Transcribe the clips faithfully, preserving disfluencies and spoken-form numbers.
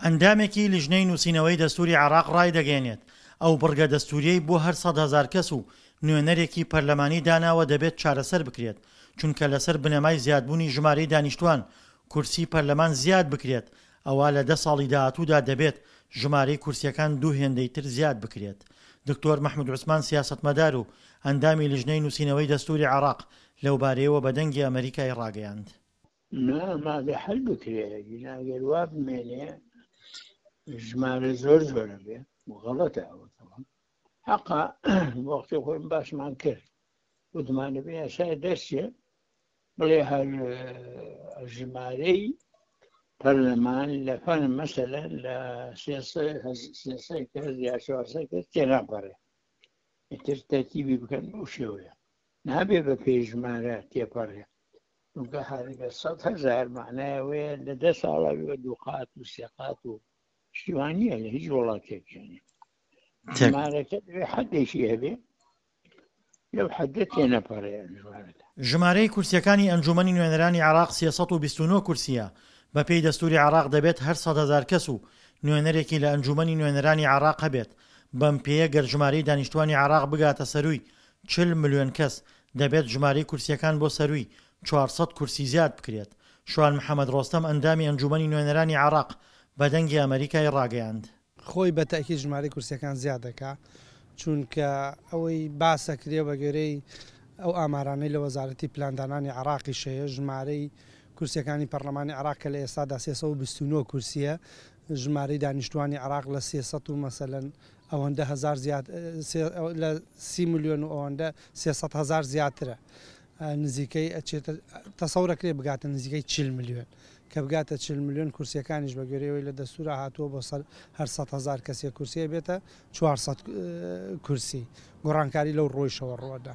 ئەندامێکی لیژنەی نووسینەوەی دەستووری عێراق ڕایدەگەیەنێت، ئەو بڕگە دەستووریەی بۆ هەر سەد هەزار کەس و نوێنەرێکی پەرلەمانی داناوە دەبێت چارەسەر بکرێت، چونکە لەسەر بنەمای زیادبوونی ژمارەی دانیشتووان کورسی پەرلەمان زیاد بکرێت، ئەوا لە دە ساڵی داهاتوودا دەبێت ژمارەی کورسییەکان دوو هێندەی تر زیاد بکرێت. دکتۆر مەحمود عوسمان سیاسەتمەدار و ئەندامی لیژنەی نووسینەوەی دەستووری عێراق لەوبارەیەوە بە دەنگی ئەمەریکای ڕاگەیاند. نا مابێ حەل بکرێ، ئەگینا ئەگەر وا بمێنێ ژمارە زۆر زۆرە بێ و غەڵەتە ئەوە. تەواو حەقا وەختی خۆی باسمان کرد، وتمان دەبێ یاسای دەرچێ بڵێ هەر ژمارەی پەرلەمان لە فەن مەسەلەن لە سێ سێ کەس یا چوار سەد کەس تێناپەڕێ، ئیتر تەرتیبی بکەن بەو شێوەیە، نابێ بە پێی ژمارە تێپەڕێ، چونکە هەرگە سەد هەزار معنای ئەوەیە لە دە ساڵە بێ دوو قات و سێ قات و شتیوان نییە لە هیچ وڵاتێک. یعنی ژمارەکە دەبێ حەدێکی هەبێ، لەو حەدە تێنەپەڕێ ژمارەکە. ژمارەی کورسییەکانی ئەنجوومەنی نوێنەرانی عێراق سێ سەد و بیست و نۆ کورسییە، بەپێی دەستووری عێراق دەبێت هەر سەد هەزار کەس و نوێنەرێکی لە ئەنجوومەنی نوێنەرانی عێراق هەبێت، بەم پێیە گەر ژمارەی دانیشتوانی عێراق بگاتە سەرووی چل ملیۆن کەس، دەبێت ژمارەی کورسییەکان بۆ سەرووی چوار سەد کورسی زیاد بکرێت. شوان محەمەد ڕۆستەم ئەندامی ئەنجوومەنی نوێنەرانی عێراق بە دەنگی ئەمەریکای ڕاگەیاند. خۆی بە تەئکید ژمارەی کورسیەکان زیاد دەکا، چونکە ئەوەی باسەکرێ بە گوێرەی ئەو ئامارانەی لە وەزارەتی پلاندانانی عێراقیش هەیە، ژمارەی کورسیەکانی پەرلەمانی عێراق کە لە ئێستادا سێ سەد و بیست و نۆ کورسیە، ژمارەی دانیشتوانی عێراق لە سێ سەد و مەسەلەن ئەوەندە هەزار زیاد، لە سی ملیۆن و ئەوەندە سێ سەد هەزار زیاترە، نزیکەی ئەچێتە تەسەورەکرێ بگاتە نزیکەی چل ملیۆن، کە بگاتە چل ملیۆن کورسیەکانیش بە گوێرەی لە دەستورا هاتووە بۆ سەر هەر سەد هەزار کەسێک کورسیە بێتە چوار سەد کورسی، گۆڕانکاری لەو ڕۆیشەوە ڕووەدا.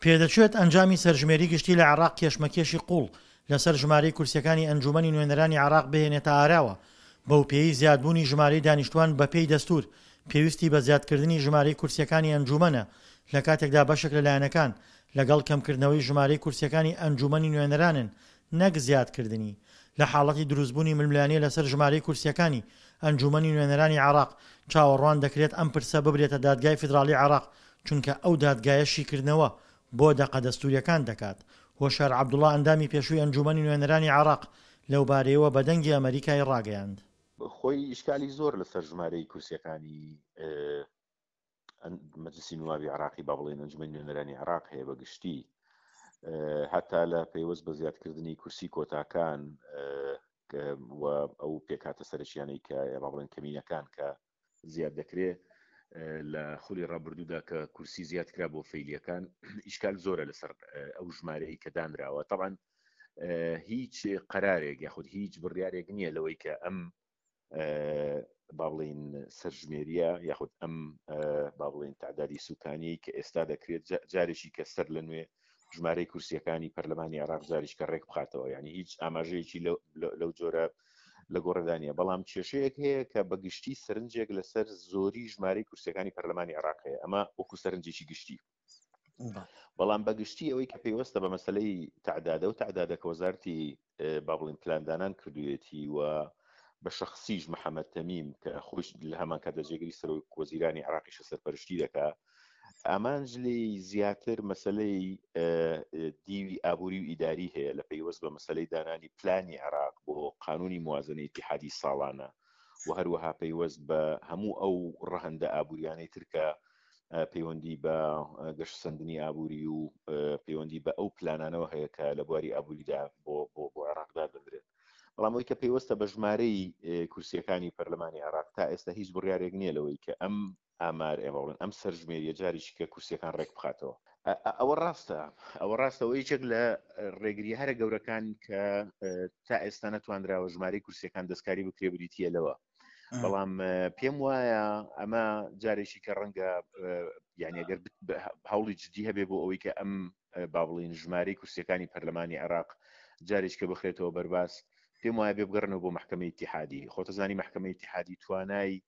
پێدەچێت ئەنجامی سەرژمێری گشتی لە عێراق کێشمەکێشی قوڵ لەسەر ژمارەی کورسیەکانی ئەنجومەنی نوێنەرانی عێراق بهێنێتە ئاراوە، بەوپێیەی زیادبوونی ژمارەی دانیشتوان بەپێی دەستور پێویستی بە زیادکردنی ژمارەی کورسیەکانی ئەنجومەنە، لەکاتێکدا بەشێک لە لایەنەکان لەگەڵ کەمکردنەوەی ژمارەی کورسیەکانی ئەنجومەنی نوێنەرانن نەک زیادکردنی. لە حاڵەتی دروستبوونی ململانێ لەسەر ژمارەی کورسیەکانی ئەنجومەنی نوێنەرانی عێراق، چاوەڕوان دەکرێت ئەم پرسە ببرێتە دادگای فیدراڵی عێراق، چونکە ئەو دادگایە شیکردنەوە بۆ دەقە دەستوریەکان دەکات. هۆشیار عەبدوڵا ئەندامی پێشووی ئەنجومەنی نوێنەرانی عێراق لەوبارەیەوە بە دەنگی ئەمەریکای ڕاگەیاند. خۆی ئیشکالی زۆر لەسەر ژمارەی کورسیەکانی مەجلسی نوابی عراقی با بڵێن ئەنجومەنی نوێنەرانی عراق هەیە بە گشتی، هەتا لە پەیوەست بە زیادکردنی کورسی کۆتاکان و ئەو پێکهاتە سەرەکیانەی کە با بڵێن کەمینەکان کە زیاد دەکرێت لە خولی ڕابردوودا کە کورسی زیاد کرا بۆ فەیلیەکان، ئیشکال زۆرە لەسەر ئەو ژمارەی کە دانراوە. طبعا هیچ قەرارێک یاخود هیچ بڕیارێک نییە لەوەی کە ئەم با بڵێین سەرژمێریە یاخود ئەم با بڵێین تعدادی سوکانی کە ئێستا دەکرێت جارێکی کە سەر لە نوێ ژمارەی کورسیەکانی پەرلەمانی عێراق جاریش کە ڕێک بخاتەوە، یعنی هیچ ئاماژەیەکی لەو جۆرە لە گۆڕێدا نییە. بەڵام کێشەیەک هەیە کە بە گشتی سەرنجێک لەسەر زۆری ژمارەی کورسیەکانی پەرلەمانی عێراق هەیە، ئەمە وەکو سەرنجێکی گشتی. بەڵام بە گشتی ئەوەی کە پەیوەستە بە مەسلەی تعدادە و تعدادە کە وەزارەتی با بڵێین پلاندانان کردوویەتی و بە شخصیش محەممەد تەمیم کە خۆش لە هەمان کاتدا جێگری سەرۆک وەزیرانی عێراقیشە سەرپەرشتی دەکا، ئامانج لێی زیاتر مەسلەی دیوی ئابووری و ئیداری هەیە لە پەیوەست بە مەسلەی دانانی پلانی عێراق بۆ قانونی موازنەی ئیتیحادی ساڵانە و هەروەها پەیوەست بە هەموو ئەو ڕەهەندە ئابووریانەی ترکە پەیوەندی بە گەشەسەندنی ئابووری و پەیوەندی بە ئەو پلانانەوە هەیە کە لە بواری ئابووریدا بۆ بۆ بۆ عێراق دادەندرێت. بەڵام ئەوەی کە پەیوەستە بە ژمارەی کورسیەکانی پەرلەمانی عێراق تا ئێستا هیچ بڕیارێک نییە لەوەی کە ئەم ئامار ئێمە بڵێن ئەم سەرژمێریە جارێکی کە کورسیەکان ڕێک بخاتەوە. ئەوە ڕاستە، ئەوە ڕاستە. ئەوە یەکێک لە ڕێگری هەرە گەورەکان کە تا ئێستا نەتوانراوە ژمارەی کورسیەکان دەستکاری بکرێ بریتیە لەوە. بەڵام پێم وایە ئەمە جارێکی کە ڕەنگە یعنی ئەگەر هەوڵی جدی هەبێ بۆ ئەوەی کە ئەم با بڵێین ژمارەی کورسیەکانی پەرلەمانی عێراق جارێکی کە بخرێتەوە بەرباس، پێم وایە بێ بگەڕنەوە بۆ محکمەی ئیتیحادی. خۆتەزانی محکمەی ئیتیحادی توانای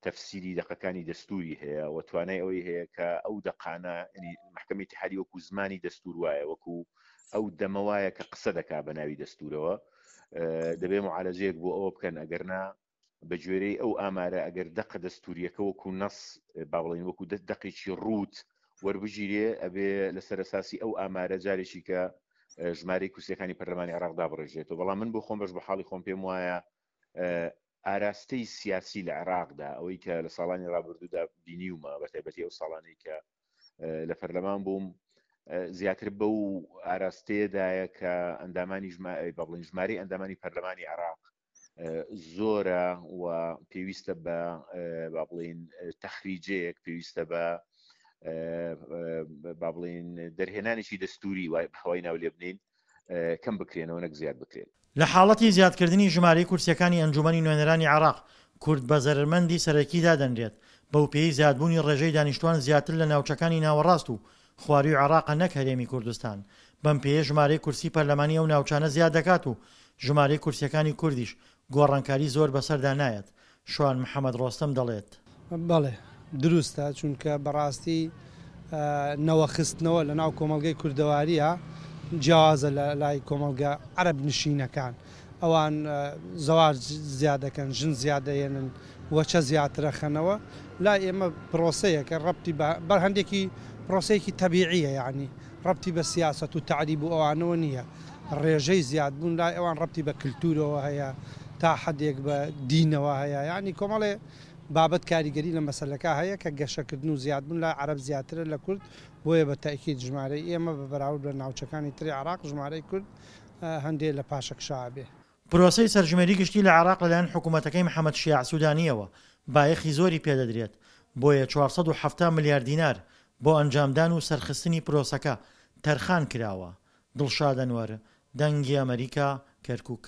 تەفسیری دەقەکانی دەستوری هەیە و توانای ئەوەی هەیە کە ئەو دەقانە، یعنی محکمەی ئیتیحادی وەکو زمانی دەستور وایە، وەکو ئەو دەمە وایە کە قسە دەکا بە ناوی دەستورەوە، دەبێ معالەجەیەک بۆ ئەوە بکەن، ئەگەر نا بە گوێرەی ئەو ئامارە ئەگەر دەقە دەستوریەکە وەکو نەس با بڵێین وەکو دەقێکی ڕووت وەربگیرێ ئەبێ لەسەر ئەساسی ئەو ئامارە جارێکی کە ژمارەی کورسیەکانی پەرلەمانی عێراق دابڕێژێتەوە بەڵام من بۆ خۆم بەش بە حاڵی خۆم پێم وایە ئاراستەی سیاسی لە عێراقدا ئەوەی کە لە ساڵانی ڕابردوودا بینیومە بە تایبەتی ئەو ساڵانەی کە لە پەرلەمان بووم زیاتر بەو ئاراستەیەدایە کە ئەندامانی بە بڵین ژمارەی ئەندامانی پەرلەمانی عێراق زۆرە و پێویستە بە با بڵین تەخریجەیەک پێویستە بە با بڵین دەرهێنانێکی دەستوری وای هەوای ناو لێ بنین کەم بکرێنەوە نەک زیاد بکرێن. لە حاڵەتی زیادکردنی ژمارەی کورسییەکانی ئەنجوومەنی نوێنەرانی عێراق، کورد بە زەرەرمەندی سەرەکی دادەنرێت، بەوپێیەی زیادبوونی ڕێژەی دانیشتووان زیاتر لە ناوچەکانی ناوەڕاست و خوارووی عێراقە نەک هەرێمی کوردستان، بەم پێیە ژمارەی کورسی پەرلەمانی ئەو ناوچانە زیاد دەکات و ژمارەی کورسییەکانی کوردیش گۆڕانکاری زۆر بەسەردا نایەت، شوان محەمەد ڕۆستەم دەڵێت. بەڵێ دروستە، چونکە بەڕاستی نەوە خستنەوە لە ناو کۆمەڵگەی کوردەوارییە جیاوازە لە لای کۆمەڵگە عەرەب نشینەکان، ئەوان زەواج زیاد دەکەن، ژن زیاد دەهێنن، وەچە زیاتر ئەخەنەوە، لای ئێمە پرۆسەیەکە ڕەبتی بە بەر هەندێکی پرۆسەیەکی تەبیعیە یانی ڕەبتی بە سیاسەت و تەعریب و ئەوانەوە نییە، ڕێژەی زیادبوون لای ئەوان ڕەبتی بە کلتورەوە هەیە، تا حەدێک بە دینەوە هەیە، یانی کۆمەڵێ بابەت کاریگەری لە مەسەلەکە هەیە کە گەشەکردن و زیادبوون لای عەرەب زیاترە لە کورد، بۆیە بە تەئکید ژمارەی ئێمە بە بەراورد بە ناوچەکانی تری عێراق ژمارەی کورد هەندێ لە پاشەکشە ئەبێ. پرۆسەی سەرژمێری گشتی لە عێراق لەلایەن حکومەتەکەی محەمەد شیاع سودانییەوە بایەخی زۆری پێدەدرێت، بۆیە چوار سەد و حەفتا ملیار دینار بۆ ئەنجامدان و سەرخستنی پرۆسەکە تەرخان کراوە. دڵشاد ئەنوەر، دەنگی ئەمەریکا، کەرکوک.